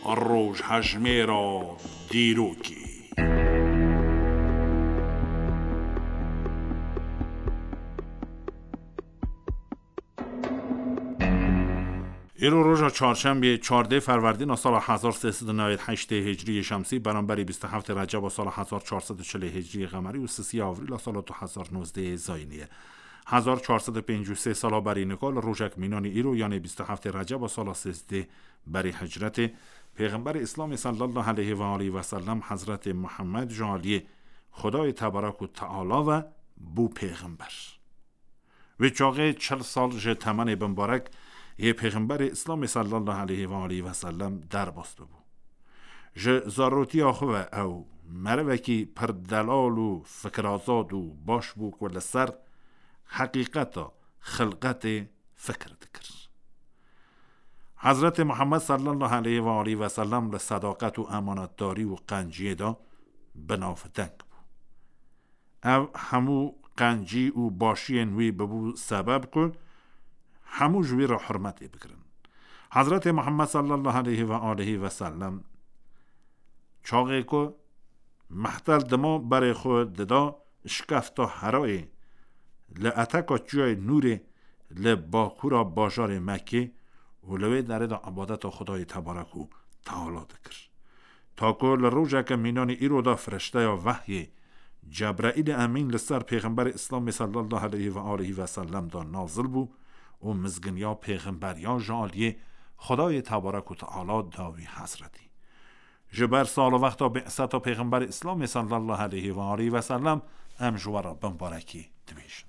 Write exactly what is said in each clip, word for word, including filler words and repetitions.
Rojhejmêra dîrokê. Îro roja çarşembê, çardeh Ferwerdîna sala hezar sê sed û newêd heştê Hicriyê Şemsî, beramberî bîst û heftê Receba sala hezar çar sed û çilê Hicriyê Qemerî û sisiya Avrîla sala du hezar nozdehê Zayînî ye. Hezar çar sed û pêncî û sê sala berî nika li rojek mînanî îro, yanê bîst û heftê Receba sala sêzdeh berî hicretê, Pêxemberê Îslamê sallallahu aleyhi ve aleyhi ve sellem, Hezretê Muhammed, ji aliyê Xwedayê Tebarek û Teala ve bû pêxember. Wê çaxê çil sal ji temenê bimbarek yê Pêxemberê Îslamê sallallahu aleyhi ve aleyhi ve sellem derbas bibû. Ji zarotiya xwe ve ew merivekî pir delal û fikirazad û baş bû ku li ser heqîqeta xilqetê fikir dikir. Hezretê Muhammed sallallahu aleyhi ve aleyhi ve sellem li sedaqet û emanetdarî û qenciyê de bi navdeng bû. Ev hemû qencî û başiyên wî bibû sebeb ku hemû ji wî re hurmetê bikirin. Hezretê Muhammed sallallahu aleyhi ve aleyhi ve sellem çaxê ku mehtel dima berê xwe dida şikefta Herayê, li eteka Çiyayê Nûrê, li bakûra bajarê Mekkê û li wê derê de ibadeta Xwedayê Tebarek û Teala dikir. Ta ku li rojeke mînanî îro de firişteya vehyê Cebraîlê Emîn li ser Pêxemberê Îslamê sallallahu aleyhi ve aleyhi ve sellem de nazil bû û mizginiya pêxemberiya ji aliyê Xwedayê Tebarek û Teala da wî hezretî. Ji ber sal û wexta bi'seta Pêxemberê Îslamê sallallahu aleyhi ve aleyhi ve sellem em ji we re bimbarekî dibêjin.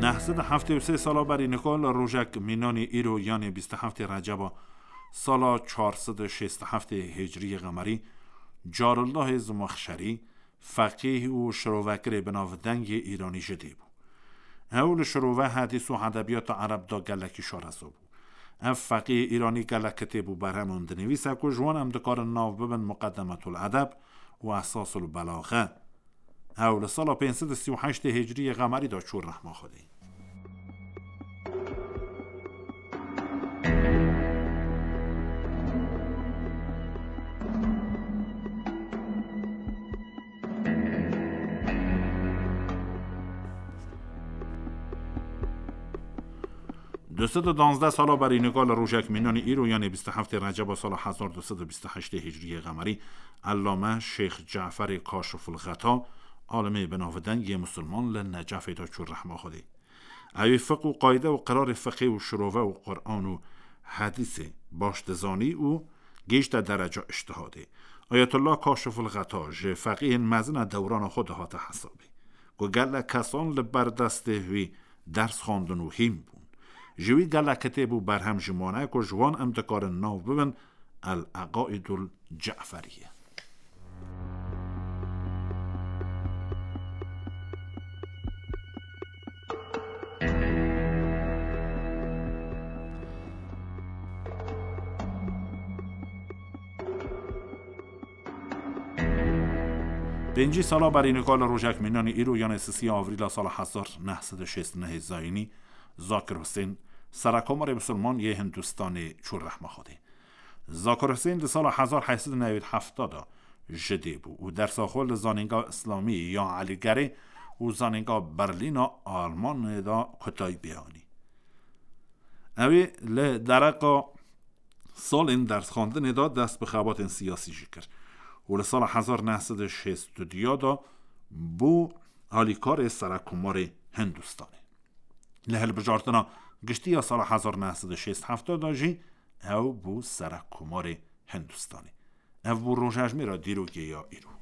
Neh sed û heftê û sê sala berî nika li rojek mînanî îro, yanê bîst û heftê Receba sala çar sed û şêst û heftê Hicriyê Qemerî, Carullahê Zimexşerî, feqîh û şirovekirê binavdeng yê Îranî ji dê bû. Ew li şirove, hedîs û edebiyata ereb de gelekî şareza bû. Ev feqîhê Îranî gelek kitêb û berhem hûn dinivîse ku ji wan em dikarin nav bibin Muqeddemetul Edeb û Esasul Belaxe. Ew li sala pênc sed û sî û heştê Hicriyê Qemerî de çû rehma Xwedê. Du sed û danzdeh sala berî nika li rojek mînanî îro, yanê bîst û heftê Receba sala hezar du sed û bîst û heştê Hicriyê Qemerî, Ellame Şêx Caferê Kaşiful Xeta, alimê binavdeng yê misilman, li Necefê de çû rehma Xwedê. Ew ê fiq û qayde û qirarê fiqê û şirove û Quran û hedîsê baş dizanî û gihîşte dereca îctihadê. Ayetullah Kaşiful Xeta ji feqîhên mezin a dewrana xwe de hate hesabê, ku gelek kesan li ber destê wî ders xwendin û hîn bûn. Ji wî gelek kitêb û berhem jî mane ku ji wan em dikarin nav bibin El Eqaidul Ceferiye. Pêncî sala berî nika li rojek mînanî îro, yanê sisiya Avrîla sala hezar neh sed û şêst û nehê Zayînî, Zakir Husên, Serekomarê Misilman yê Hindistanê, çû rehma Xwedê. Zakir Husên di sala hezar heşt sed û newêd hefta de ji dê bû û dersa xwe li Zanînga Îslamî ya Elîgerê û Zanînga Berlîna Almanê de kutayî pê anî. Ew ê li dereqa salên dersxwendinê de dest bi xebatên siyasî jî kir û li sala hezar neh sed û şêst û du de bû alîkarê Serekomarê Hindistanê. Li hilbijartina giştî ya sala hezar neh sed û şêst hefta de jî ew bû Serekkomarê Hindistanê. Ev bû rojhejmêra dîrokê ya îro.